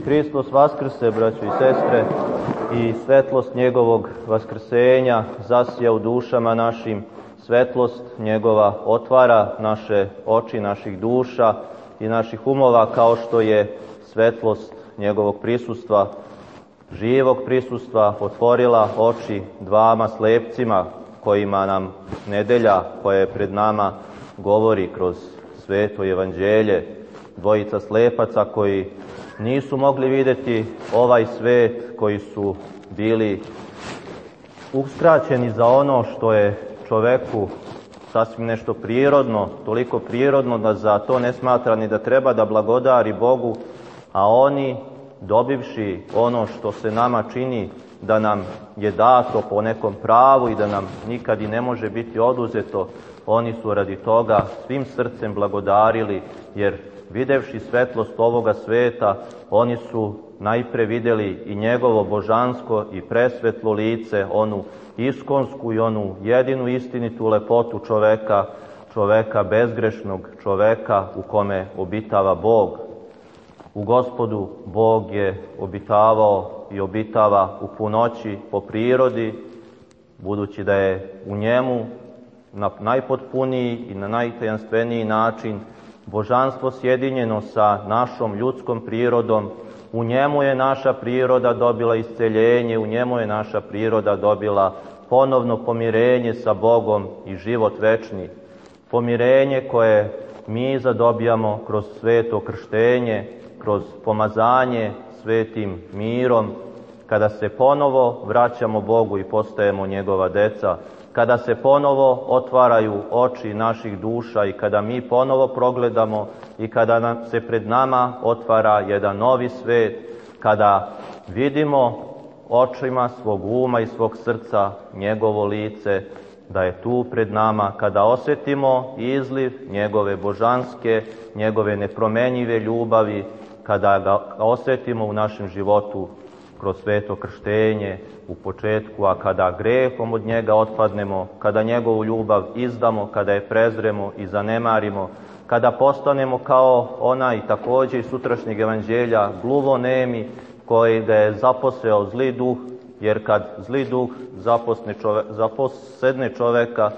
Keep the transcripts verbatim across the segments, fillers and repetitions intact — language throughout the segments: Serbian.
Hristos vaskrse, braćo i sestre, i svetlost njegovog vaskrsenja zasija u dušama našim, svetlost njegova otvara naše oči, naših duša i naših umova, kao što je svetlost njegovog prisustva, živog prisustva, otvorila oči dvama slepcima kojima nam nedelja koja je pred nama govori kroz sveto evanđelje. Dvojica slepaca koji nisu mogli vidjeti ovaj svet, koji su bili uskraćeni za ono što je čoveku sasvim nešto prirodno, toliko prirodno da za to ne smatra ni da treba da blagodari Bogu, a oni, dobivši ono što se nama čini da nam je dato po nekom pravu i da nam nikad i ne može biti oduzeto, oni su radi toga svim srcem blagodarili, jer videvši svetlost ovoga sveta, oni su najpre videli i njegovo božansko i presvetlo lice, onu iskonsku i onu jedinu istinitu lepotu čoveka, čoveka bezgrešnog, čoveka u kome obitava Bog. U Gospodu Bog je obitavao i obitava u punoći po prirodi, budući da je u njemu na najpotpuniji i na najtajanstveniji način božanstvo sjedinjeno sa našom ljudskom prirodom. U njemu je naša priroda dobila isceljenje, u njemu je naša priroda dobila ponovno pomirenje sa Bogom i život večni. Pomirenje koje mi zadobijamo kroz sveto krštenje, kroz pomazanje svetim mirom, kada se ponovo vraćamo Bogu i postajemo njegova deca, kada se ponovo otvaraju oči naših duša i kada mi ponovo progledamo i kada nam se pred nama otvara jedan novi svet, kada vidimo očima svog uma i svog srca njegovo lice, da je tu pred nama, kada osjetimo izliv njegove božanske, njegove nepromenjive ljubavi, kada ga osjetimo u našem životu kroz sveto krštenje u početku, a kada grehom od njega otpadnemo, kada njegovu ljubav izdamo, kada je prezremo i zanemarimo, kada postanemo kao onaj također iz sutrašnjeg evanđelja gluvonemi koji ga je zaposeo zli duh, jer kad zli duh zaposne čove, zaposedne čoveka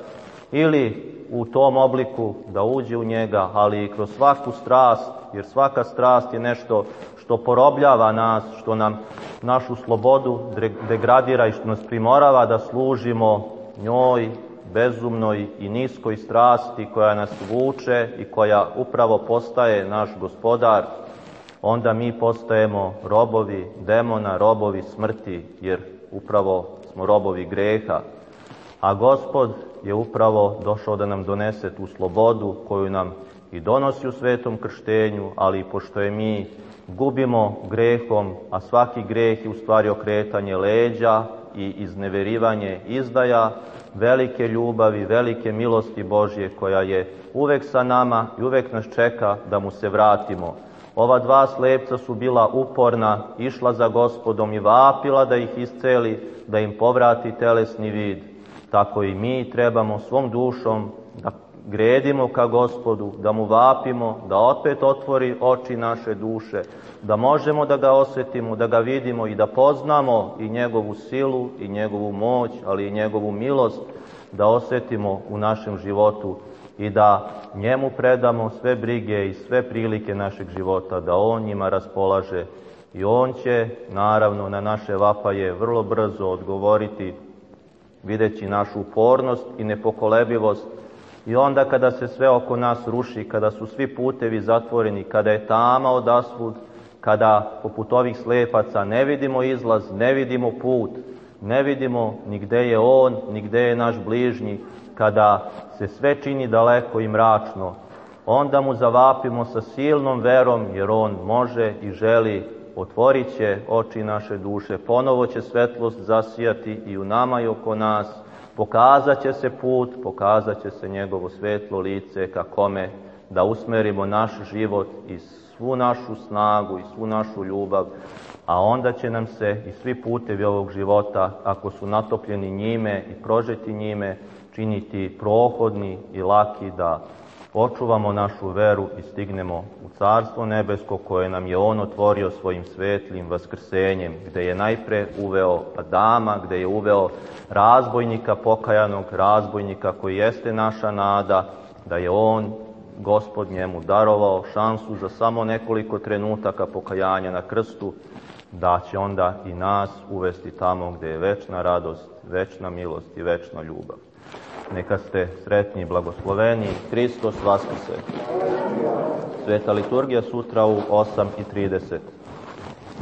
ili u tom obliku da uđe u njega, ali i kroz svaku strast, jer svaka strast je nešto što porobljava nas, što nam našu slobodu degradira i što nas primorava da služimo njoj, bezumnoj i niskoj strasti koja nas vuče i koja upravo postaje naš gospodar, onda mi postajemo robovi demona, robovi smrti, jer upravo smo robovi greha. A Gospod je upravo došao da nam donese tu slobodu koju nam i donosi u svetom krštenju, ali pošto je mi gubimo grehom, a svaki greh je u stvari okretanje leđa i izneverivanje izdaja velike ljubavi, velike milosti Božje koja je uvek sa nama i uvek nas čeka da mu se vratimo. Ova dva slepca su bila uporna, išla za Gospodom i vapila da ih isceli, da im povrati telesni vid. Tako i mi trebamo svom dušom da gredimo ka Gospodu, da mu vapimo, da opet otvori oči naše duše, da možemo da ga osjetimo, da ga vidimo i da poznamo i njegovu silu i njegovu moć, ali i njegovu milost, da osjetimo u našem životu i da njemu predamo sve brige i sve prilike našeg života, da on njima raspolaže i on će naravno na naše vapaje vrlo brzo odgovoriti, videći našu upornost i nepokolebivost. I onda kada se sve oko nas ruši, kada su svi putevi zatvoreni, kada je tama odasvud, kada poput ovih slepaca ne vidimo izlaz, ne vidimo put, ne vidimo ni gde je on, ni gde je naš bližnji, kada se sve čini daleko i mračno, onda mu zavapimo sa silnom verom, jer on može i želi, otvorit će oči naše duše, ponovo će svetlost zasijati i u nama i oko nas, pokazat će se put, pokazat će se njegovo svetlo lice ka kome da usmerimo naš život i svu našu snagu i svu našu ljubav, a onda će nam se i svi putevi ovog života, ako su natopljeni njime i prožeti njime, činiti prohodni i laki, da očuvamo našu veru i stignemo u Carstvo nebesko koje nam je On otvorio svojim svetlim vaskrsenjem, gde je najpre uveo Adama, gde je uveo razbojnika, pokajanog razbojnika koji jeste naša nada, da je On, Gospod, njemu darovao šansu za samo nekoliko trenutaka pokajanja na krstu, da će onda i nas uvesti tamo gde je večna radost, večna milost i večna ljubav. Neka ste sretni i blagosloveni. Hristos vaskrse. Sveta liturgija sutra u osam i trideset.